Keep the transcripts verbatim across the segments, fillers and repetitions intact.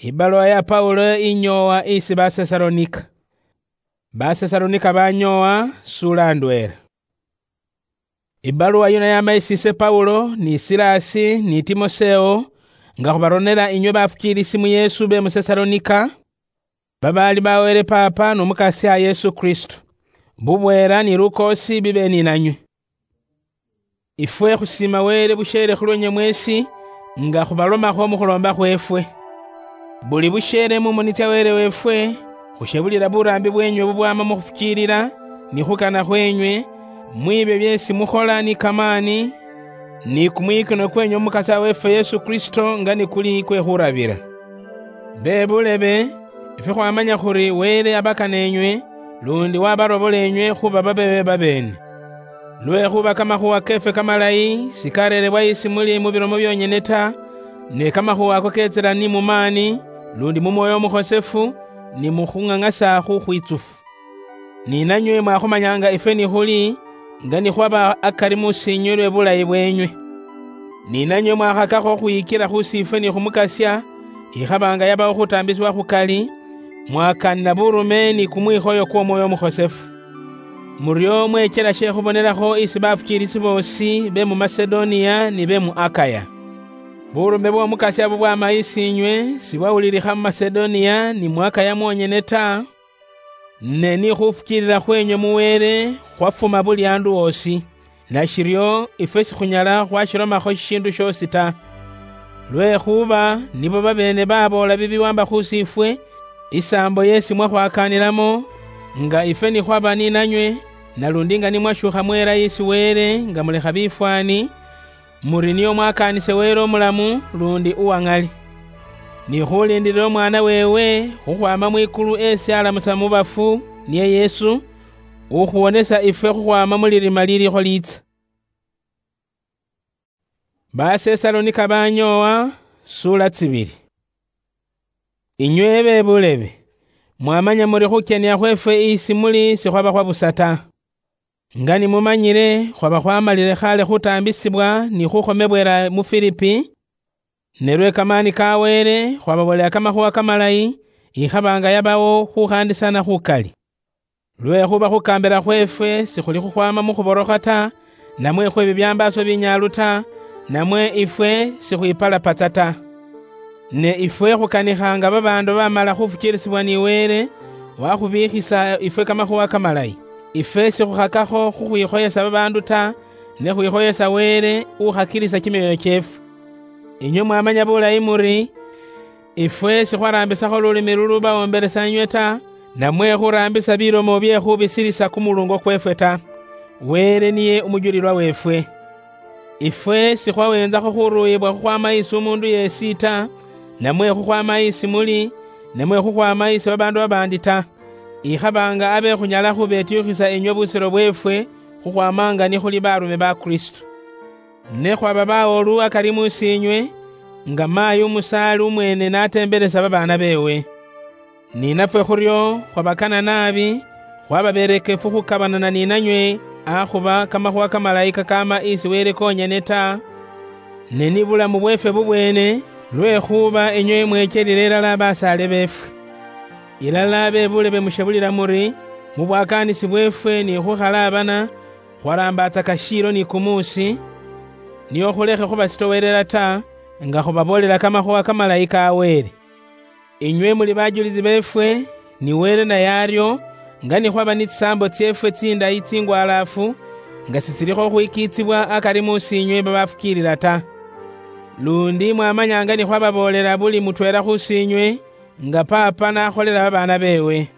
Ibaluwa ya Paulo inyoowa isi Basesalonika. Basesalonika banyoowa, sula ndweela. Ibaluwa yino yama isi ise Paulo, ni Silasi, ni Timoseo, nga khubaronela inywe bafukiilisi mu Yesu be mu Sesalonika, babaali ba Wele Paapa n'Omukasya Yesu Kristo. Bubweela ni lukoosi bibe ni nanywe. Ifwe khusiima Wele busheele khulwenywe mweesi, nga khubalomakho mu khuloomba khweefwe. Buli busheele mu moni tsya Wele weefwe, khushebulila buraambi bweenywe bubwama mu khufukiilila, ni khukana khweenywe, mwiibyo byeesi mukhola ni kamaani, ni kumwikinwa kweenywe mu Mukasya weefwe Yesu Kristo nga ni kuli kwe khurabila. Be bulebe, ifwe khwamanya khuri Wele abakana enywe, lundi wabarobola enywe khuba babeebe babeene. Lwekhuba kamakhuwa keefwe kamalayi sikareerebwa isi muli mu bilomo byonyene ta, ne kamakhuwa ako ketsila ni mu maani, lundi mu Mwoyo Umukhosefu, ni mu khung'ang'asa khukhwitsufu. Ni nanywe mwakhumanyanga ifwe ni khuli, nga ni khwaba akari musiinywe lwe bulayi bweenywe. Ni nanywe mwakhakakho khwikila khu sifwe ni khu Mukasya, ikhaba nga yabawo khutaambisibwa khukali, mwakaanila burume ni kumwikhoyo kw'Omwoyo Umukhosefu. Muryo mweechela she khubonelakho isi bafukiilisi boosi be mu Masedoniya ni be mu Akaya. Burume bw'Omukasya bubwama isiinywe sibwawulilikha mu Masedoniya ni mu Akaya mwonyene ta, ne ni khufukiilila khweenywe mu Wele khwafuma buli andu osi. Nashiryo, ifwe sikhunyala khwashilomakho shishiindu shoosi ta. Lwekhuba nibo babeene baboola bibiwaamba khu sifwe, isaambo yeesi mwakhwakaanilamo, nga ifwe ni khwaba ni nanywe, nalundi nga ni mwashuukha mweela isi Wele nga mulekha bifwaani, muri nio mwakaanise Wele omulamu lundi uwa ŋali. Ni khuliindilila Omwaana weewe khukhwaama mwikulu esi alamusa mu bafu, niye Yesu, ukhuwonesa ifwe khukhwaama mu lirima liliikho liitsa. Basesalonika banyoowa, sula tsibili. Inywe be bulebe, mwamanya muri khukyenia khweefwe isi muli sikhwaba khwa busa ta. Nga ni mumanyile, khwaba khwamalile khale khutaambisibwa ni khukhomebwela mu Filipi, ne lwe kamaani ka Wele khwababoolela kamakhuwa kamalayi, ikhaba nga yabawo khukhaandisana khukali. Lwekhuba khukaambila khweefwe sikhuli khukhwaama mu khuborokha ta, namwe khwe bibyambaaso binyaalu ta, namwe ifwe sikhwipalapatsa ta. Ne ifwe khukanikha nga babaandu bamala khufukiilisibwa ni Wele, wakhubiikhisa ifwe kamakhuwa kamalayi. Ifwe sikhukhakakho khukhwikhoyesa babaandu ta, ne khwikhoyesa Wele ukhakilisa kimyoyo kyeefwe. Inywe mwamanya bulayi muri, ifwe sikhwaraambisakho lulimi lulubawombelesa inywe ta, namwe khuraambisa bilomo bye khubisilisa kumulungo kweefwe ta. Wele niye umujulilwa weefwe. Ifwe sikhwaweenzakho khuruuyibwa khukhwaama isi umuundu yeesi ta, namwe khukhwaama isi muli, namwe khukhwaama isi babaandu babaandi ta. Ikhaba nga abe khunyala khubetyukhisa inywe busiro bweefwe khukhwaama nga ni khuli baarume ba Kristo. Ne khwaba bawoolu akari mu siinywe, nga maayi umusaali umweene n'ateembelesa babaana beewe. Ni nafwe khuryo khwabakana naabi, khwaba berekefu khukabanana ni nanywe, akhuba kamakhuwa kamalayi kakaama isi Wele konyene ta, ne ni bulamu bweefwe bubweene, lwekhuba inywe mweechelile ilala basaale beefwe. Ilala be bulebe mushebulila muri, mu bwakaanisi bweefwe ni khukhalaabana, khwaraambatsaka shiilo ni kumuusi, nio khulekhe khubasitowelela ta, nga khubaboolela kamakhuwa kamalayi ka Wele. Inywe muli bajulisi beefwe, ni Wele naye aryo, nga ni khwaba ni tsisaambo tseefwe tsindayi tsingwalaafu, nga sitsilikho khwikiitsibwa akari mu siinywe babafukiilila ta. Lundi mwamanya nga ni khwababoolela buli mutweela khu siinywe, nga paapa n'akholela babaana beewe.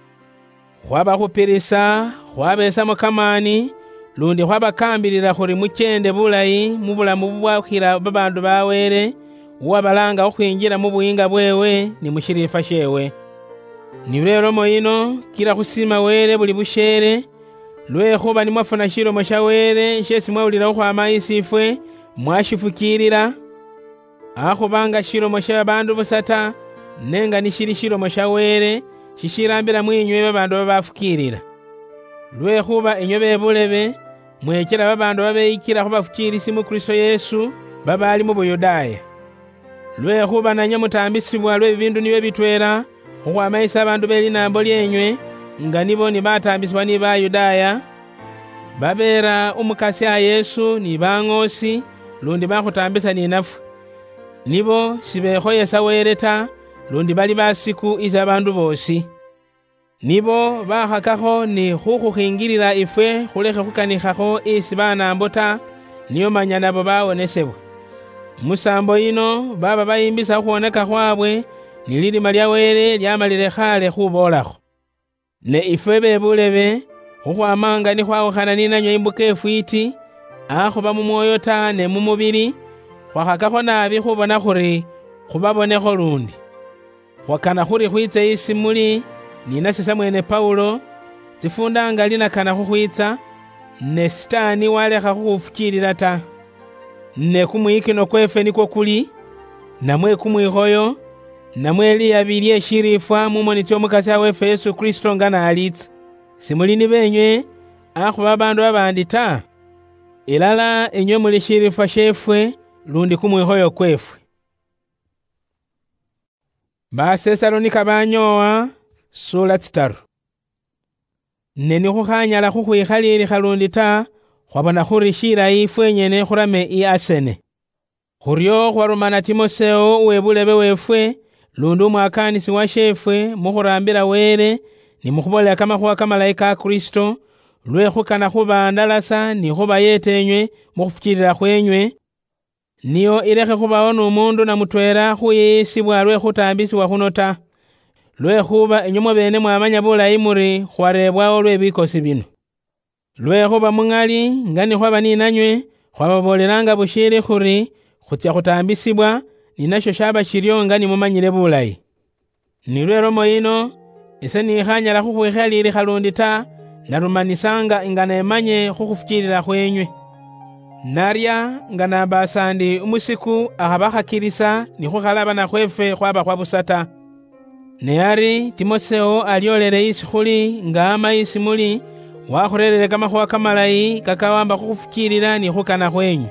Khwabakhupilisa, khwabeesamo kamaani, lundi khwabakaambilila khuri mucheende bulayi mu bulamu bubwakhila babaandu ba Wele, uwabalaanga khukhwinjila mu buyiinga bweewe ni mu shiriifwa sheewe. Nilwo ilomo yino, kila khusiima Wele buli busheele, lwekhuba ni mwafuna shilomo sha Wele sheesi mwawulila khukhwaama isiifwe, mwashifukiilila, akhuba nga shilomo sha babaandu busa ta, ne nga nishili shilomo sha Wele, shishilaambila mwiinywe babaandu babafukiilila. Lwekhuba inywe be bulebe, mweechela babaandu babeyikila khu bafukiilisi mu Kristo Yesu, babaali mu Buyudaaya. Lwekhuba nanywe mutaambisibwa lwe bibindu nibyo bitweela khukhwama isi abandu be linaambo lyeenywe, nga nibo ni bataambisibwa ni Bayudaaya, babeera Umukasya Yesu ni baŋoosi, lundi bakhutaambisa ni nafwe. Nibo sibekhoyesa Wele ta, lundi bali basiku isi abandu boosi. Nibo bakhakakho ni khukhukhingilila ifwe khulekhe khukanikhakho isi banaambo ta, nio manya nabo bawonesebwa. Musaambo yino baba bayimbisa khukhwoneka khwabwe, ni lilima lya Wele lyamalile khaale khuboolakho. Ne ifwe be bulebe, khukhwama nga ni khwawukhana ni nanywe imbuka ifwiiti, akhuba mu mwoyo ta ne mu mubili, khwakhakakho naabi khubona khuri khubabonekho lundi. Khwakana khuri khwitse isi muli, ni nase samweene Paulo, tsifuunda nga linakana khukhwitsa, ne Sitaani walekha khukhufukiilila ta. Ne kumwiyikino kweefwe nikwo kuli, namwe kumwikhoyo, namwe liyabi lye shiriifwa mu moni tsy'Omukasya weefwe Yesu Kristo nga n'aliitsa. Simuli ni beenywe, akhuba babaandu babaandi ta. Ilala inywe muli shiriifwa sheefwe, lundi kumwikhoyo kweefwe. Basesalonika banyoowa, sula tsitaru. Ne nikhukhanyala khukhwikhaliilikha lundi ta, khwabona khuri shilayi fwenyene khurame i Asene. Khuryo khwarumana Timoseo uwe bulebe weefwe, lundi umwakaanisi washeefwe, mukhuraambila Wele, ni mukhuboolera kamakhuwa kamalayi ka Kristo, lwe khukana khubandalasa ni khubayeeta enywe mukhufukiilila khwenywe, nio ilekhe khubawo n'omuundu na mutweela khuyiyisibwa lwe khutaambisibwa khuno ta. Lwekhuba inywe mwabeene mwamanya bulayi muri khwareebwawo lwe bikosi bino. Lwekhuba muŋali nga ni khwaba ni nanywe, khwababoolelanga bushiili khuri khutsya khutaambisibwa, ni nashyo shaba shiryo nga ni mumanyile bulayi. Nilwo elomo yino, ise nikhanyala khukhwikhaliilikha lundi ta, narumanisanga nga nemanye khukhufukiilila khwenywe. Narya nga nabasa ndi umusiku akhabakhakilisa ni khukhalabana khweefwe khwaba khwa busa ta. Ne ari Timoseo alyoolele isi khuli nga ama isi muli, wakhureerere kamakhuwa kamalayi kakawamba khukhufukiilila ni khukana khwenywe.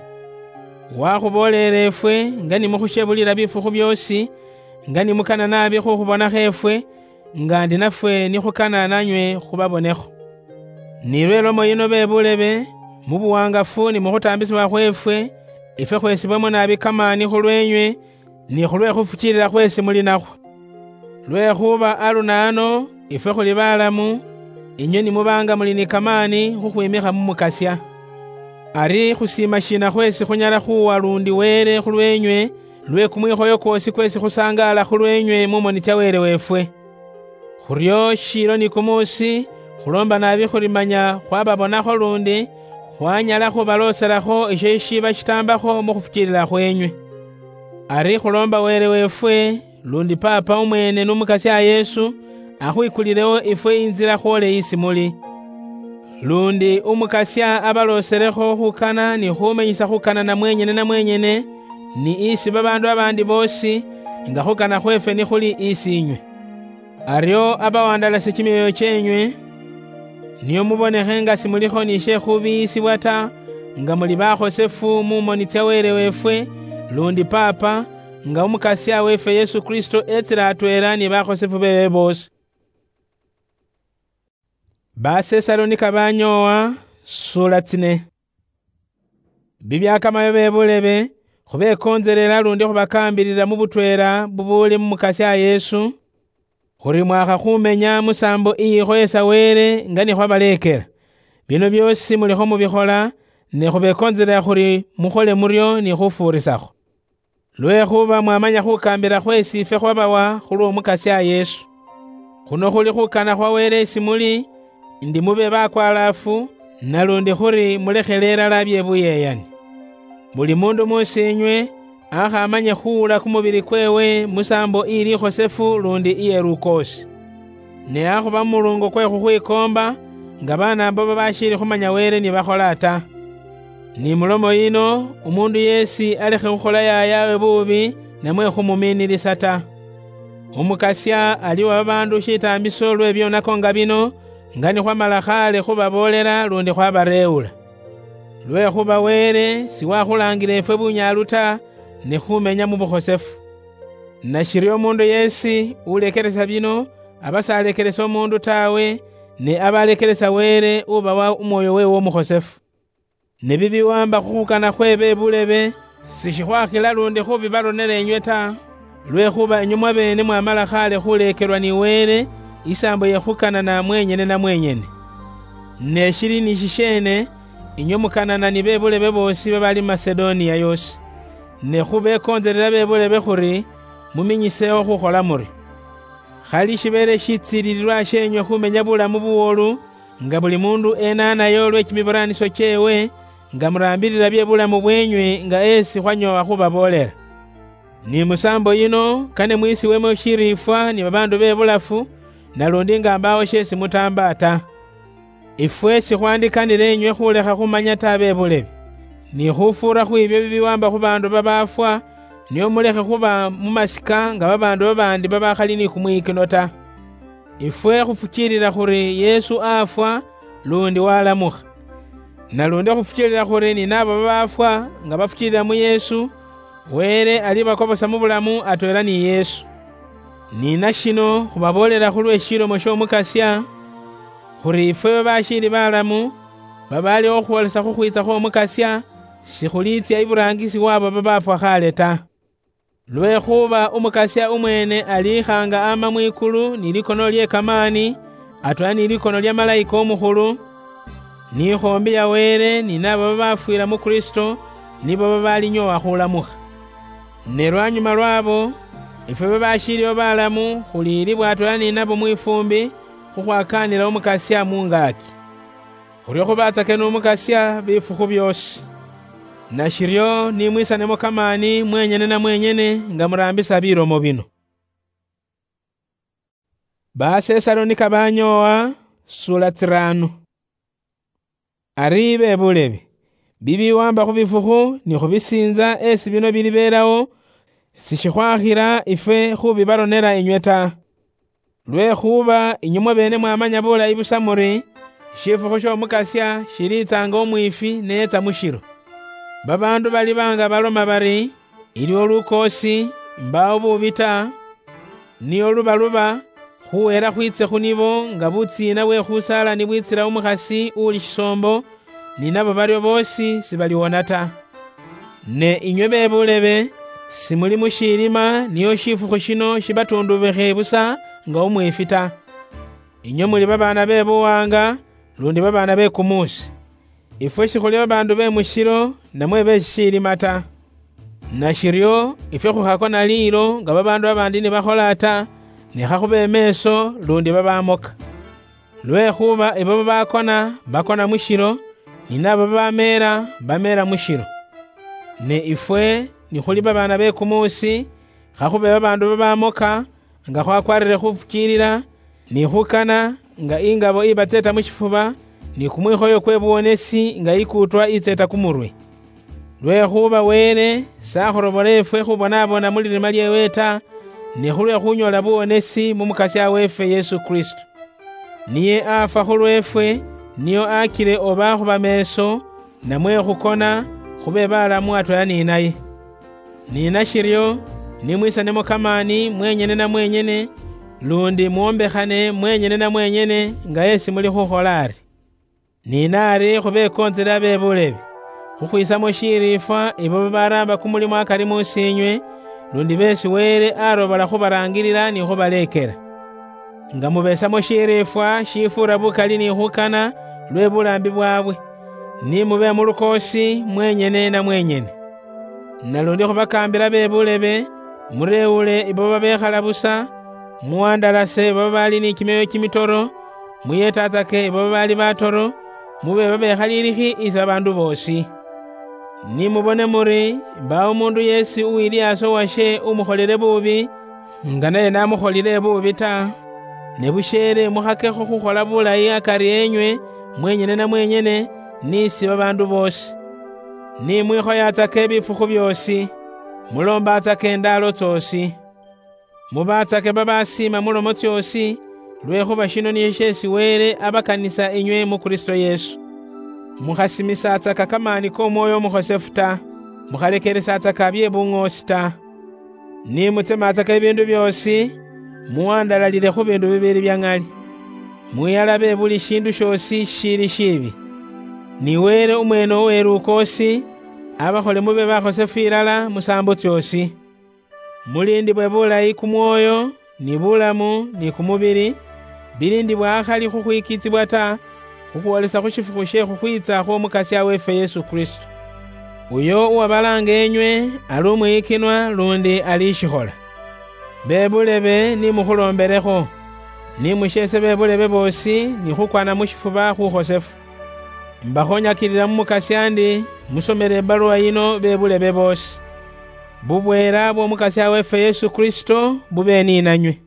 Wakhuboolele efwe nga ni mukhushebulila bifukhu byoosi, nga ni mukana naabi khukhubonakho efwe, nga ndi nafwe nikhukana nanywe khubabonekho. Ni lwe lomo yino be bulebe, mu buwangafu ni mu khutaambisibwa khweefwe, ifwe khwesibwemo naabi kamaani khulweenywe, ni khulwe khufukiilila khweesi muli nakhwo. Lwekhuba aluna ano, ifwe khuli balamu, inywe ni muba nga muli ni kamaani khukhwimikha mu Mukasya. Ari khusiima shiina khweesi khunyala khuwa lundi Wele khulweenywe, lwe kumwikhoyo kwoosi kwesi khusangaala khulweenywe mu moni tsya Wele weefwe? Khuryo shiilo ni kumuusi, khuloomba naabi khuri manya khwababonakho lundi, khwanyala khubalooselakho isho shishiba shitaambakho mu khufukiilila khwenywe. Ari khuloomba Wele weefwe, lundi Paapa umweene n'Umukasya Yesu, akhwikulilewo ifwe inzila khwoole isi muli. Lundi Umukasya abalooselekho khukana ni khumenyisa khukana na mwenyene na mwenyene, ni isi babaandu abaandi boosi, nga khukana khweefwe nikhuli isi inywe. Aryo abawandalase kimyoyo kyenywe, nio mubonekhe nga simulikho ni she khubiyisibwa ta, nga muli bakhosefu mu moni tsya Wele weefwe, lundi Paapa, nga Umukasya weefwe Yesu Kristo etsile atweela ni bakhosefu beewe boosi. Basesalonika banyoowa, sula tsine. Bibyakamayo be bulebe, khubekontselela lundi khubakaambilila mu butweela bubuuli mu Mukasya Yesu, khuri mwakha khumenya musaambo iyikhoyesa Wele nga ni khwabaleekela. Bino byoosi mulikho mubikhola, ne khubekontselela khuri mukhole muryo ni khufuurisakho. Lwekhuba mwamanya khukaambila khweesi ifwe khwabawa khulw'Omukasya Yesu. Khuno khuli khukana khwa Wele isi muli, ndi mube bakwalaafu, nalundi khuri mulekhele ilala bye buyeyani. Buli mundu muusiinywe akhamanye khuwula kumubili kweewe musaambo ili ikhosefu lundi iye lukoosi. Ne akhuba mu muluungo kwe khukhwikoomba, nga banaambo babashiili khumanya Wele ni bakhola ta. Ni mulomo yino, umuundu yeesi alekhe khukhola yayaawe buubi, namwe khumumiinilisa ta. Umukasya aliwa babaandu shitaambiso lwe byonako nga bino, nga ni khwamala khaale khubaboolela lundi khwabareewula. Lwekhuba Wele siwakhulaangila ifwe bunyaalu ta, ne khumenya mu bukhosefu. Nashiri omundu yesi ulekeresa bino, aba salekeresa omundu tawe, ne aba alekeresa Wele ubawa umwoyo wewe omukhosefu. Ne bibiwamba khukhukana khwe bebulebe, sishikhwakhila lundi khubibaronera enywe ta, lwekhuba enywe mwabene mwamala khale khulekerwa ni Wele isaambo yekhukanana mwenyene na mwenyene. Ne shili ni shisheene, inywe mukanana ni bebulebe boosi babali mu Masedonia yoosi. Ne khubekontselela bebulebe khuri muminyiseho khukhola muri. Khali shibeele shitsiilililwa sheenywe khumenya bulamu buwoolu, nga buli mundu enaanayo lwe kimibiraanisio kyeewe, nga muraambilila bye bulamu bweenywe nga esi khwanyoowa khubaboolela. Ni musaambo yino, kane mwiisiwemo shiriifwa ni babaandu be bulafu, nalundi nga mbaawo sheesi mutaamba ta. Ifwe sikhwandikanile inywe khulekha khumanya ta be bulebe, ni khufuura khwiibyo bibiwaamba khu baandu babaafwa, nio mulekhe khuba mu masika nga babaandu babaandi babakhali ni kumwiikino ta. Ifwe khufukiilila khuri Yesu afwa, lundi walamukha. Nalundi khufukiilila khuri ni naabo babaafwa nga bafukiilila mu Yesu, Wele alibakobosa mu bulamu atweela ni Yesu. Ni nashino khubaboolela khulwe shilomo sh'Omukasya, khuri ifwe babashiili balamu, babaaliho khukhwolesa khukhwiitsa khw'Omukasya, sikhuliitsya iburaangisi wabo babaafwa khale ta. Lwekhuba Umukasya umweene aliikhaanga ama mwikulu ni likono lye kamaani, atweela ni likono lya Malayika Omukhulu, ni ikhoombi ya Wele ni naabo babafwiira mu Kristo, nibo babalinyoowa khulamukha. Ne lwanyuma lwabo, ifwe babashiiliho balamu khuliilibwa atweela ni nabo mwifuumbi khukhwakaanila Umukasya mungaaki. Khuryo khubatsake n'Umukasya bifukhu byoosi. Nashiryo ni mwisanemo kamaani mwenyene na mwenyene nga muraambisa bilomo bino. Basesalonika banyoowa, sula tsirano. Ari be bulebe, bibiwamba khu bifukhu ni khu bisiinza esi bino bilibeelawo, sishikhwakhira ifwe khubibaronera inywe ta. Lwekhuba inywe mwabeene mwamanya bulayi busa muri, shifukhu sh'Omukasya shiliitsanga omwifi neetsa mu shilo. Babaandu baliba nga baloma bari, iliwo lukoosi, mbaawo buubi ta, nio luba luba, khuweera khwiitse khu nibo nga butsiina bwe khusaala ni bwitsila umukhasi uuli shisoombo, ni nabo baryo boosi sibaliwona ta. Ne inywe be bulebe, simuli mu shiilima nio shifukhu shino shibatundubikhe busa nga umwifi ta. Inywe muli babaana be buwaanga, lundi babaana be kumuusi. Ifwe shikhuli babaandu be mu shilo, namwe be shishiilima ta. Nashiryo, ifwe khukhakona liilo nga babaandu babaandi nibakhola ta, ne khakhube emeeso, lundi babamoka. Lwekhuba ibo babakona, bakona mu shilo, ni nabo babameera, bameera mu shilo. Ne ifwe, nikhuli babaana be kumuusi, khakhube babaandu babamoka, nga khwakwarire khufukiilila, ni khukana nga ingabo ibatseeta mu shifuba, ni kumwikhoyo kwe buwonesi nga ikuutwa itseeta kumurwe. Lwekhuba Wele sakhurobora efwe khubonabona mu lirima lyeewe ta, ne khulwe khunyoola buwonesi mu Mukasya weefwe Yesu Kristo. Niye afwa khulweefwe, nio akile oba khuba meeso, namwe khukona, khube balamu atweela ni naye. Ni nashiryo, ni mwisanemo kamaani mwenyene na mwenyene, lundi mwombekhane mwenyene na mwenyene nga esi muli khukhola ari. Ni naari khubekontsele abe bulebe, khukhwisamo shiriifwa ibo babaraamba kumulimo akari mu siinywe, lundi beesi Wele arobola khubaraangilila ni khubaleekela. Nga mubesamo shiriifwa shifuura bukali ni khukana lwe bulaambi bwaabwe, ni mube mu lukoosi mwenyene na mwenyene. Nalundi khubakaambila be bulebe, mureewule ibo babekhala busa, muwandalase ibo babaali ni kimyoyo kimitoro, muyetatsake ibo babaali batoro, mube babekhaliilikhi isi babaandu boosi. Ni mubone muri, mbaawo umuundu yeesi uwilyaasa uwashe umukholile buubi, nga naye namukholile buubi ta, ne busheele mukhakekho khukhola bulayi akari enywe mwenyene na mwenyene, ni isi babaandu boosi. Ni mwikhoyatsake bifukhu byoosi, muloombatsake indaalo tsoosi. Mubaatsake babasiima mu lomo tsyoosi, lwekhuba shino nisho sheesi Wele abakanisa inywe mu Kristo Yesu. Mukhasimisatsaka kamaani k'Omwoyo Omukhosefu ta, mukhalekeresatsaka bye buŋoosi ta. Ni mutsematsaka ebindu biosi, muwandalalile khu bindu bibili bya ng'ali. Mwiyalabe buli shindu shiosi shili shibi. Ni Wele umwene uwelukosi, abakhole mube bakhosefu ilala musambo tsiosi. Mulindibwe bulayi kumwoyo, ni bulamu, ni kumubili, bilindibwa akhali khukhwikitsibwa ta, khukhwolesa khu shifukhu she khukhwitsa khw'Omukasia wefe Yesu Kristo. Uyo uwabalaanga enywe ali umwiyikinwa lundi ali ishikhola. Bebulebe ni mukhulombelekho, ni musheese bebulebe boosi ni khukwana mu shifuba khukhosefu. Mbakhonyakilila mu Mukasia ndi musomele ebaluwa yino bebulebe boosi. Bubweela bw'Omukasia wefe Yesu Kristo bube ni nanywe.